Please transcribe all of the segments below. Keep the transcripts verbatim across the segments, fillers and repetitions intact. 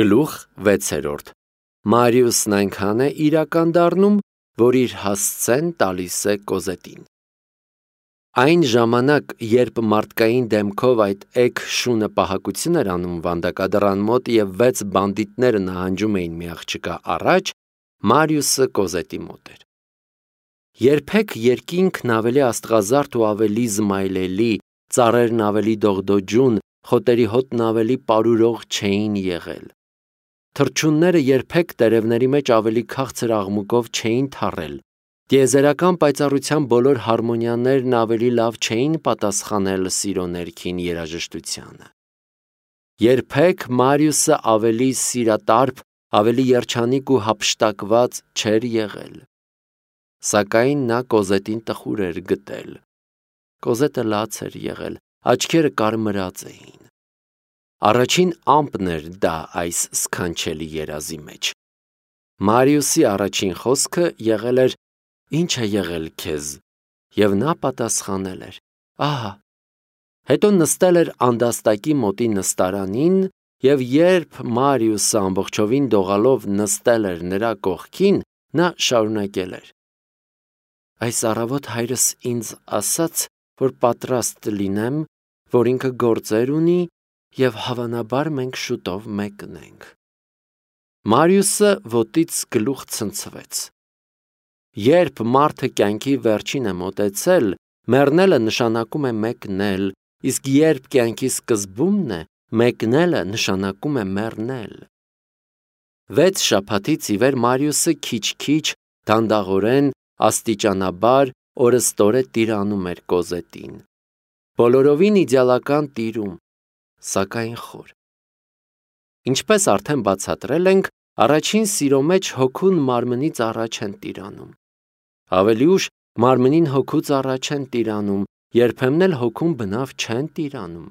Գլուխ վեցերորդ Մարիուսն այնքան է իրական դառնում, որ իր հասցեն տալիս է Կոզետին։ Այն ժամանակ, երբ մարդկային դեմքով այդ էգ շունը պահակություն էր անում վանդակադռան մոտ և վեց բանդիտները նահանջում էին մի աղջկա առաջ, Մարիուսը Կոզետի մոտ էր։ Երբեք երկինքն ավելի աստղազարդ ու ավելի զմայլելի, ծառերն ավելի դողդոջուն, խոտերի հոտն ավելի պարուրող չէին եղել։ Թռչունները երբեք տերևների մեջ ավելի քաղցր աղմուկով չէին թռել, տիեզերական պայծառության բոլոր հարմոնիաներն ավելի լավ չէին պատասխանել սիրո ներքին երաժշտությանը։ Երբեք Մարիուսը ավելի սիրատարփ, ավելի երջանիկ ու հափշտակված չէր եղել։ Սակայն նա Կոզետին տխուր էր գտել։ Կոզետը լաց էր եղել, աչքերը կարմրած էին։ Առաջին ամպն էր դա այս սքանչելի երազի մեջ։ Մարիուսի առաջին խոսքը եղել էր. «Ինչ է եղել քեզ», և նա պատասխանել էր. «Ահա»։ Հետո նստել էր անդաստակի մոտի նստարանին, և երբ Մարիուսը ամբողջովին դողալով նստել էր նրա կողքին, նա շարունակել էր. «Այս առավոտ հայրս ինձ ասաց, որ պատրաստ լինեմ, որ ինքը գործեր ունի, և հավանաբար մենք շուտով մեկնենք»։ Մարիուսը ոտից գլուխ ցնցվեց։ Երբ մարդը կյանքի վերջին է մոտեցել, մեռնելը նշանակում է մեկնել, իսկ երբ կյանքի սկզբումն է, մեկնելը նշանակում է մեռնել։ Վեց շաբաթից ի վեր Մարիուսը քիչ-քիչ, դանդաղորեն, աստիճանաբար, օրըստօրե տիրանում էր Կոզետին։ Բոլորովին իդեալական տիրում, սակայն խոր։ Ինչպես արդեն բացատրել ենք, առաջին սիրո մեջ հոգուն մարմնից առաջ են տիրանում։ Ավելի ուշ մարմնին հոգուց առաջ են տիրանում, երբեմն էլ հոգուն բնավ չեն տիրանում։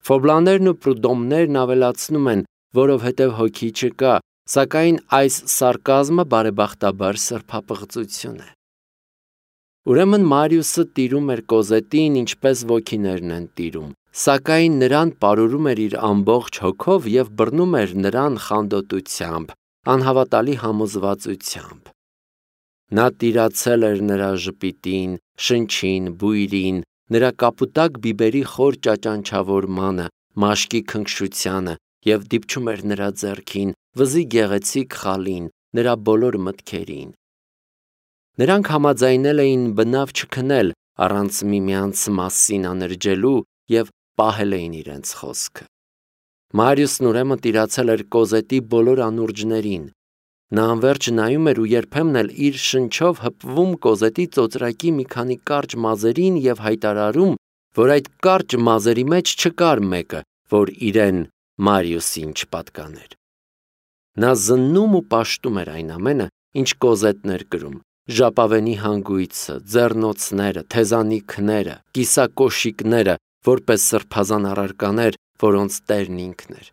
Ֆոբլաներն ու պրուդոմներն ավելացնում են, որովհետև հոգի չկա, սակայն այս սարկազմը բարեբախտաբար սրբապղծություն է։ Ուրեմն Մարիուսը տիրում էր Կոզետին, ինչպես ոգիներն են տիրում, սակայն նրան պարուրում էր իր ամբողջ հոգով և բռնում էր նրան խանդոտությամբ, անհավատալի համոզվածությամբ։ Նա տիրացել էր նրա ժպիտին, շնչին, բույրին, նրա կապուտակ բիբերի խոր ճաճանչավորմանը, մաշկի քնքշությանը և դիպչում էր նրա ձեռքին, վզի գեղեցիկ խալին, նրա բոլոր մտքերին։ Նրանք համաձայնել էին բնավ չքնել առանց միմյանց մասին անրջելու և պահել էին իրենց խոսքը։ Մարիուսն ուրեմն տիրացել էր Կոզետի բոլոր անուրջներին։ Նա անվերջ նայում էր ու երբեմն էլ իր շնչով հպվում Կոզետի ծոծրակի մի քանի կարճ մազերին և հայտարարում, որ այդ կարճ մազերի մեջ չկար մեկը, որ իրեն Մարիուսին չպատկաներ։ Նա զննում ու պաշտում էր այն ամենը, ինչ Կոզետն էր կրում՝ ժապավենի հանգույցը, ձեռնոցները, թեզանիքները, կիսակոշիկները, որպես սրբազան առարկաներ, որոնց տերն ինքն էր։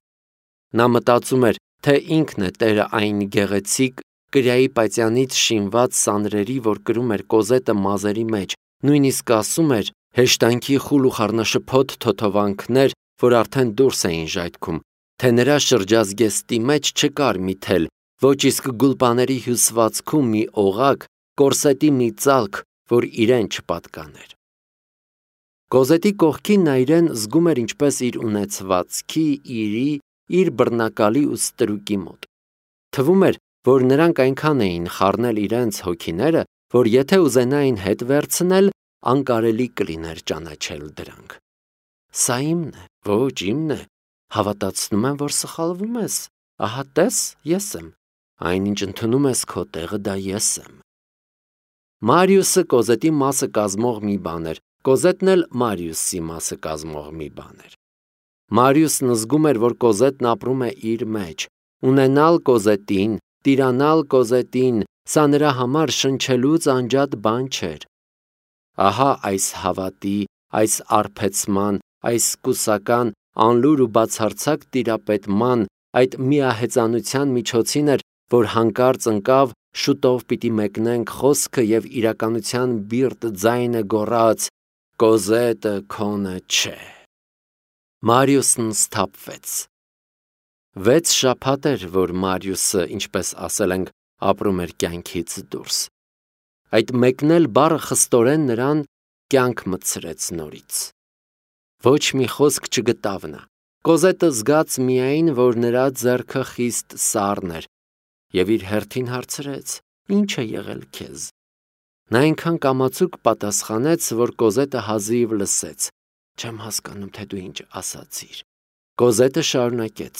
Նա մտածում էր, թե ինքն է տերը այն գեղեցիկ, կրիայի պայծյանից շինված սանրերի, որ կրում էր Կոզետը մազերի մեջ, նույնիսկ ասում էր, հեշտանքի խուլ ու խառնաշփոթ թոթովանքներ, որ արդեն դուրս էին ժայթքում, թե նրա շրջազգեստի մեջ չկար մի թել, ոչ իսկ գուլպաների հյուսվածքում մի օղակ, կորսետի մի ծալք, որ իրեն չպատկաներ։ Կոզետի կողքին նա իրեն զգում էր ինչպես իր ունեցվածքի, իրի, իր բռնակալի ու ստրուկի մոտ։ Թվում էր, որ նրանք այնքան էին խառնել իրենց հոգիները, որ եթե ուզենային հետ վերցնել, անկարելի կլիներ ճանաչել դրանք։ Սա իմն է, ոչ իմն է, հավատացնում եմ, որ սխալվում ես, ահա տես, ես եմ, այնինչ ընդունում ես քո տեղը, դա ես եմ։ Մարիուսը Կոզետի մասը կազմող մի բան էր, Կոզետն էլ Մարիուսի մասը կազմող մի բան էր։ Մարիուսն զգում էր, որ Կոզետն ապրում է իր մեջ, ունենալ Կոզետին, տիրանալ Կոզետին, սա նրա համար շնչելուց անջատ բան չէր։ Ահա այս հավատի, այս արբեցման, այս կուսական, անլուր ու բացարձակ տիրապետման, այդ միահեծանության միջոցին էր, որ հանկարծ ընկավ շուտով պիտի մեկնենք խոսքը և իրականության բիրտ ձայնը գոռաց. «Կոզետը քոնը չէ»։ Մարիուսն սթափվեց։ Վեց շաբաթ էր, որ Մարիուսը, ինչպես ասել ենք, ապրում էր կյանքից դուրս։ Այդ մեկնել բառը խստորեն նրան կյանք մտցրեց նորից։ Ոչ մի խոսք չգտավ նա։ Կոզետը զգաց միայն, որ նրա ձեռքը խիստ սառն էր, և իր հերթին հարցրեց. «Ինչ է եղել քեզ»։ Նա այնքան կամացուկ պատասխանեց, որ Կոզետը հազիվ լսեց. «Չեմ հասկանում, թե դու ինչ ասացիր»։ Կոզետը շարունակեց.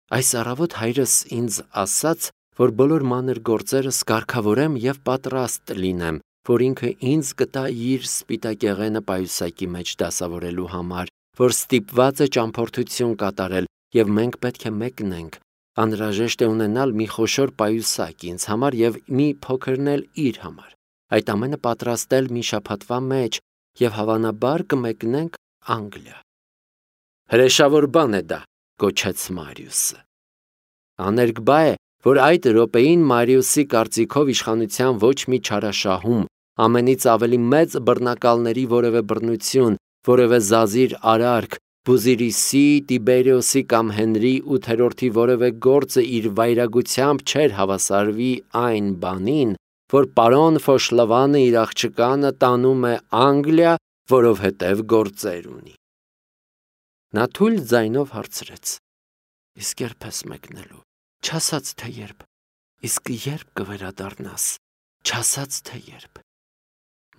«Այս առավոտ հայրս ինձ ասաց, որ բոլոր մանր գործերս կարգավորեմ և պատրաստ լինեմ, որ ինքը ինձ կտա իր սպիտակեղենը պայուսակի մեջ դասավորելու համար, որ ստիպված է ճամփորդություն կատարել, և մենք պետք է մեկնենք։ Անհրաժեշտ է ունենալ մի խոշոր պայուսակ ինձ համար և մի փոքրն էլ իր համար։ Այդ ամենը պատրաստել մի շաբաթվա մեջ և հավանաբար կմեկնենք Անգլիա»։ «Հրեշավոր բան է դա», գոչեց Մարիուսը։ Աներկբա է, որ այդ րոպեին Մարիուսի կարծիքով իշխանության ոչ մի չարաշահում, ամենից ավելի մեծ բռնակալների որևէ բռնություն, որևէ զազիր արարք, Բուզիրիսի, Տիբերիոսի կամ Հենրի ութերորդի որևէ գործը իր վայրագությամբ չէր հավասարվի այն բանին, որ պարոն Ֆոշլավանը իր աղջկանը տանում է Անգլիա, որովհետև գործեր ունի։ Նա թույլ ձայնով հարցրեց. «Իսկ երբ ես մեկնելու, չասաց թե երբ, իսկ երբ կվերադառնաս, չասաց թե երբ»։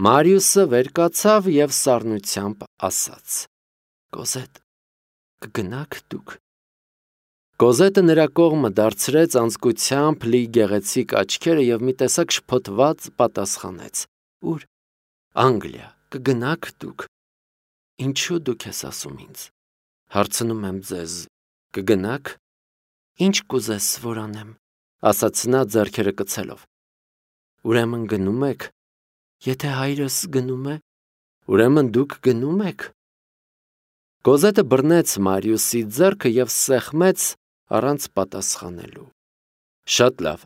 Մարիուսը վեր կացավ և սառնությամբ ասաց. «Կոզետ, կգնաք դուք»։ Կոզետը նրա կողմը դարձրեց անձկությամբ լի գեղեցիկ աչքերը և մի տեսակ շփոթված պատասխանեց. «Ո՞ւր»։ «Անգլիա, կգնաք դուք»։ «Ինչու՞ դուք ես ասում ինձ»։ «Հարցնում եմ ձեզ, կգնաք»։ «Ինչ կուզես, որ անեմ», ասաց նա ձեռքերը կցելով։ «Ուրեմն գնում եք։ Եթե հայրս գնում է, ուրեմն դուք գնում եք»։ Կոզետը բռնեց Մարիուսի ձեռքը և սեղմեց առանց պատասխանելու։ «Շատ լավ»,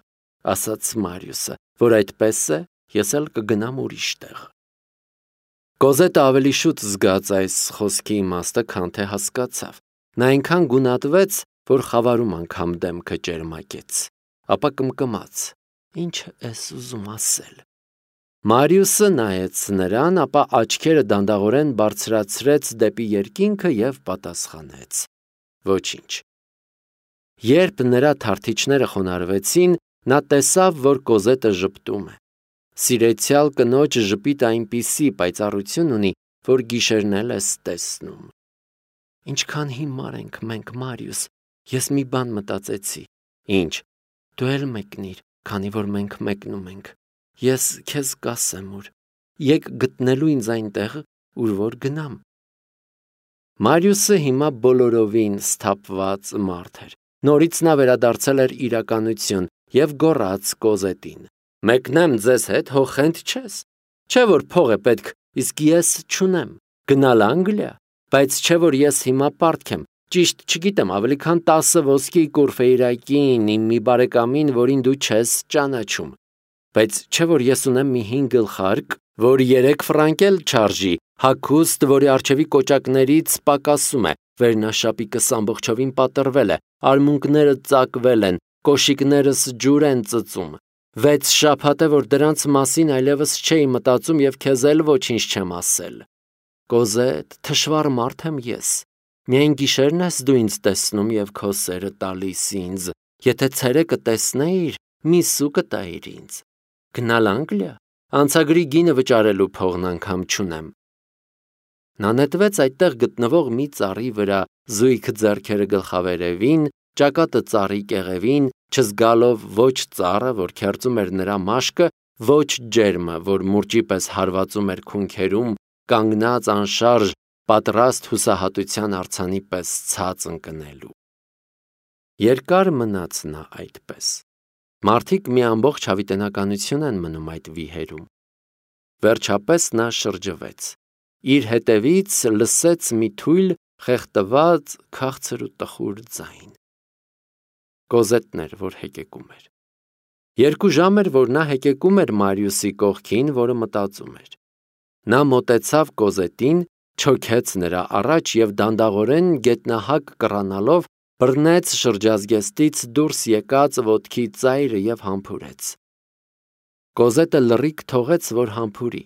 ասաց Մարիուսը, «որ այդպես է, ես էլ կգնամ ուրիշ տեղ»։ Կոզետը ավելի շուտ զգաց այս խոսքի իմաստը, քան թե հասկացավ։ Նա այնքան գունատվեց, որ խավարում անգամ դեմքը ճերմակեց, ապա կմկմաց. «Ի՞նչ ես ուզում ասել»։ Մարիուսը նայեց նրան, ապա աչքերը դանդաղորեն բարձրացրեց դեպի երկինքը և պատասխանեց. «Ոչինչ»։ Երբ նրա թարթիչները խոնարհվեցին, նա տեսավ, որ Կոզետը ժպտում է։ Սիրեցյալ կնոջ ժպիտը այնպիսի պայծառություն ունի, որ գիշերն էլ ես տեսնում։ «Ինչքան հիմար ենք մենք, Մարիուս, ես մի բան մտածեցի»։ «Ինչ»։ «Դու էլ մեկնիր, քանի որ մենք մեկնում ենք։ Ես քեզ կասեմ ուր։ Եկ գտնելու ինձ այնտեղ, ուր որ գնամ»։ Մարիուսը հիմա բոլորովին սթափված մարդ էր։ Նորից նա վերադարձել էր իրականություն և գոռաց Կոզետին. «Մեկնեմ ձեզ հետ, հո խենթ չես։ Չէ՞ որ փող է պետք, իսկ ես չունեմ։ Գնալ Անգլիա։ Բայց չէ՞ որ ես հիմա պարտք եմ, ճիշտ չգիտեմ, ավելի քան տասը ոսկի կուրֆեյրակին իմ մի բարեկամին, որին դու չես ճանաչում։ Բայց չէ՞ որ ես ունեմ մի հինգ գլխարկ, որ երեք ֆրանկ էլ չարժի, հագուստ, որի առջևի կոճակներից պակասում է, վերնաշապիկս ամբողջովին պատռվել է, արմունկները ծակվել են, կոշիկներս ջուր են ծծում։ Վեց շաբաթ է, որ դրանց մասին այլևս չէի մտածում և քեզ էլ ոչինչ չեմ ասել։ Կոզետ, թշվառ մարդ եմ ես։ Միայն գիշերն ես դու ինձ տեսնում և քո սերը տալիս ինձ։ Եթե ցերեկը տեսնեիր, մի սու կտայիր ինձ։ Գնալ Անգլիա։ Անցագրի գինը վճարելու փողն անգամ չունեմ։ Նա նետվեց այդտեղ գտնվող մի ծառի վրա, զույգ ձեռքերը գլխավերևին, ճակատը ծառի կեղևին, չզգալով ոչ ծառը, որ քերծում էր նրա մաշկը, ոչ ջերմը, որ մուրճի պես հարվածում էր քունքերում, կանգնած անշարժ, պատրաստ հուսահատության արձանի պես ցած ընկնելու։ Երկար մնաց նա այդպես։ Մարդիկ մի ամբողջ հավիտենականություն են մնում այդ վիհերում։ Վերջապես նա շրջվեց։ Իր հետևից լսեց մի թույլ, խեղդված, քաղցր ու տխուր ձայն։ Կոզետն էր, որ հեկեկում էր։ Երկու ժամ էր, որ նա հեկեկում էր Մարիուսի կողքին, որը մտածում էր։ Նա մոտեցավ Կոզետին, չոքեց նրա առաջ և դանդաղորեն գետնահակ կռանալով բռնեց շրջազգեստից դուրս եկած ոտքի ծայրը և համբուրեց։ Կոզետը լռիք թողեց, որ համբուրի։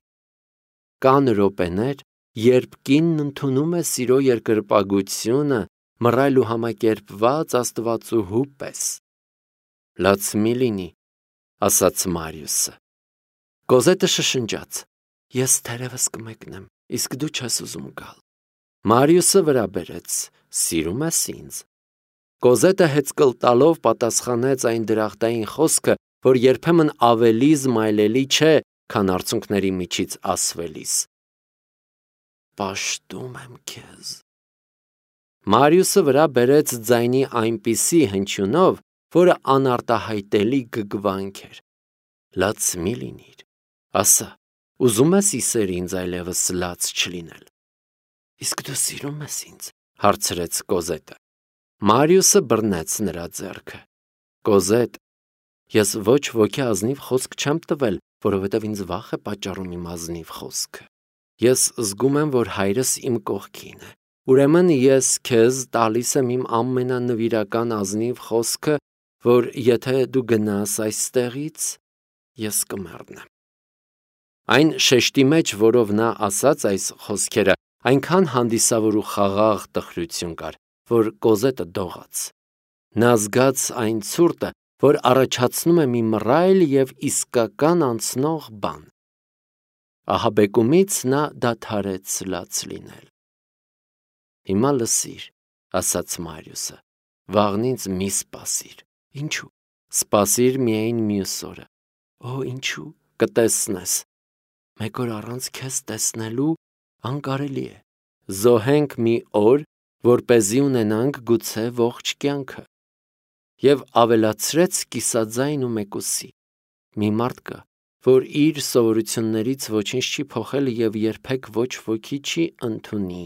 Կան րոպեներ, երբ կինն ընդունում է սիրո երկրպագությունը մռայլ ու համակերպված աստվածուհու պես։ Լաց մի լինի, ասաց Մարիուսը։ Կոզետը շշնջաց. Ես թերևս կմեկնեմ, իսկ դու չես ուզում գալ։ Մարիուսը վրա բերեց. Սիրում ես ինձ։ Կոզետը հեծկլ տալով պատասխանեց այն դրախտային խոսքը, որ երբեմն ավելի զմայլելի չէ, քան արցունքների միջից ասվելիս։ Պաշտում եմ քեզ։ Մարիուսը վրա բերեց ձայնի այնպիսի հնչյունով, որը անարտահայտելի գգվանք էր։ Լաց մի լինիր, ասա, ուզում ես իսեր ինձ այլևս լաց չլինել։ Իսկ դու սիրում ես ինձ, հարցրեց Կոզետը։ Մարիուսը բռնեց նրա ձեռքը։ Կոզետ, ես ոչ ոքի ազնիվ խոսք չեմ տվել, որովհետև ինձ վախ է պատճառում իմ ազնիվ խոսքը։ Ես զգում եմ, որ հայրս իմ կողքին է։ Ուրեմն ես քեզ տալիս եմ իմ ամենանվիրական ազնիվ խոսքը, որ եթե դու գնաս այստեղից, ես կմեռնեմ։ Այն շեշտի մեջ, որով նա ասաց այս խոսքերը, այնքան հանդիսավոր ու խաղաղ տխրություն կար, որ Կոզետը դողաց։ Նա զգաց այն ցուրտը, որ առաջացնում է մի մռայլ և իսկական անցնող բան։ Ահաբեկումից նա դադարեց լաց լինել։ Հիմա լսիր, ասաց Մարիուսը, վաղնից մի սպասիր։ Ինչու՞։ Սպասիր միայն մյուս օրը։ Օ, ինչու՞։ Կտեսնես։ Մեկ օր առանց քեզ տեսնելու անկարելի է։ Զոհենք մի օր, որպեսզի ունենանք գուցե ողջ կյանքը։ Եվ ավելացրեց կիսաձայն ու մեկուսի։ Մի մարդ կա, որ իր սովորություններից ոչինչ չի փոխել և երբեք ոչ ոքի չի ընդունի,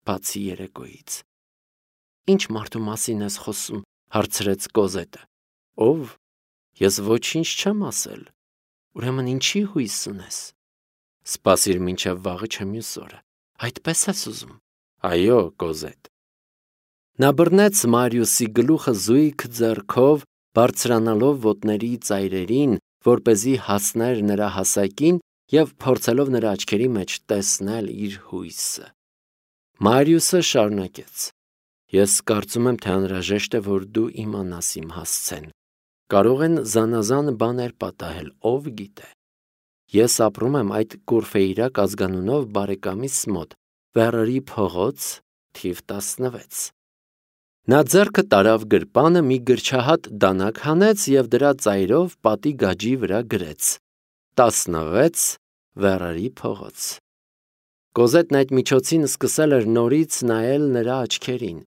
բացի երեկոյից։ Ինչ մարդու մասին ես խոսում, հարցրեց Կոզետը։ Ով։ Ես ոչինչ չեմ ասել։ Ուրեմն ինչի հույս ունես։ Սպասիր մինչև վաղը չէ մյուս օրը։ Այդպես ես ուզում։ Այո, Կոզետ։ Նա բռնեց Մարիուսի գլուխը զույգ ձեռքով, բարձրանալով ոտների ծայրերին, որպեսզի հասներ նրա հասակին և փորձելով նրա աչքերի մեջ տեսնել իր հույսը։ Մարիուսը շարունակեց. Ես կարծում եմ, թե անհրաժեշտ է, որ դու իմանաս իմ հասցեն։ Կարող են զանազան բաներ պատահել, ով գիտե։ Ես ապրում եմ այդ Կուրֆեյրակ ազգանունով բարեկամիս մոտ, Վեռարի փողոց, թիվ տասնվեց։ Նա ձեռքը տարավ գրպանը, մի գրչահատ դանակ հանեց և դրա ծայրով պատի գաջի վրա գրեց. տասնվեց Վեռարի փողոց։ Կոզետն այդ միջոցին սկսել էր նորից նայել նրա աչքերին։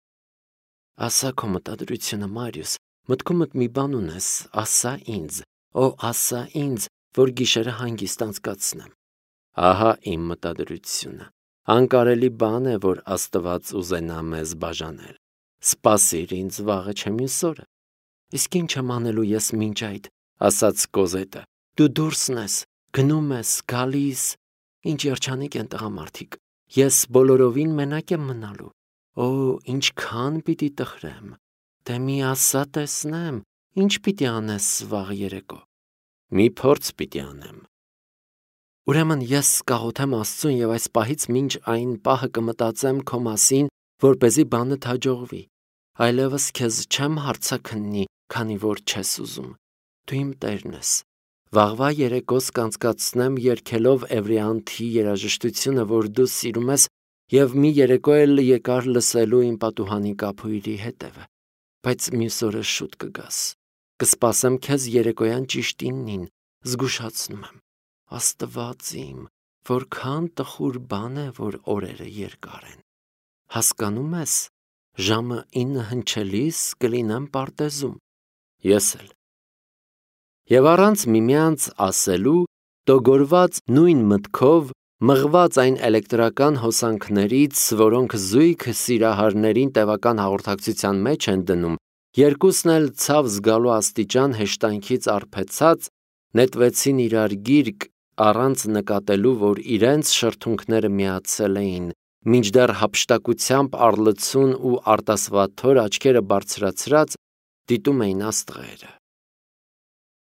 Ասա քո մտադրությունը, Մարիուս, մտքումդ մի բան ունես, ասա ինձ, օ, ասա ինձ, որ գիշերը հանգիստ անցկացնեմ։ Ահա իմ մտադրությունը։ Անկարելի բան է, որ Աստված ուզենա մեզ բաժանել։ Սպասիր ինձ վաղը չէ մյուս օրը։ Իսկ ինչ եմ անելու ես մինչ այդ, ասաց Կոզետը։ Դու դուրսն ես, գնում ես, գալիս, ինչ երջանիկ են տղամարդիկ։ Ես բոլորովին մենակ եմ մնալու։ Օ, ինչքան պիտի տխրեմ։ Դե մի ասա տեսնեմ, ինչ պիտի անես վաղ երեկո։ Մի փորձ պիտի անեմ։ Ուրեմն ես կաղոթեմ Աստծուն և այս պահից մինչ այն պահը կմտածեմ քո մասին, որպեսզի բանդ հաջողվի։ Այլևս քեզ չեմ հարցաքննի, քանի որ չես ուզում։ Դու իմ տերն ես։ Վաղվա երեկոս կանցկացնեմ երգելով Էվրիանթի երաժշտությունը, որ դու սիրում ես, և մի երեկո էլ եկար լսելու իմ պատուհանի կափույրի հետևը։ Բայց մյուս օրը շուտ կգաս։ Կսպասեմ քեզ երեկոյան ճիշտ իննին, զգուշացնում եմ։ Աստված իմ, որքան տխուր բան է, որ օրերը երկար են։ Հասկանում ես, ժամը ինը հնչելիս կլինեմ պարտեզում։ Ես էլ։ Եվ առանց միմյանց ասելու, տոգորված նույն մտքով, մղված այն էլեկտրական հոսանքներից, որոնք զույգ սիրահարներին տևական հաղորդակցության մեջ են դնում, երկուսն էլ ցավ զգալու աստիճան հեշտանքից արբեցած, նետվեցին իրար գիրկ, առանց նկատելու, որ իրենց շրթունքները միացել էին մինչդեռ հափշտակությամբ առլցուն ու արտասվաթոր աչքերը բարձրացրած դիտում էին աստղերը։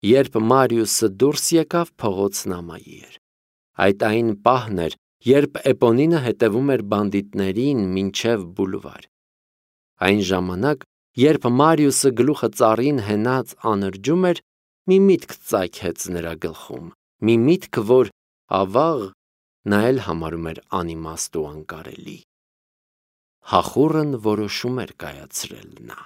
Երբ Մարիուսը դուրս եկավ, փողոցն ամայի էր։ Այդ այն պահն էր, երբ Էպոնինը հետևում էր բանդիտներին մինչև բուլվար։ Այն ժամանակ, երբ Մարիուսը գլուխը ծառին հենած անրջում էր, մի միտք ծագեց նրա գլխում, մի միտք, որ ավաղ նա էլ համարում էր անիմաստ ու անկարելի։ Հախուռն որոշում էր կայացրել նա։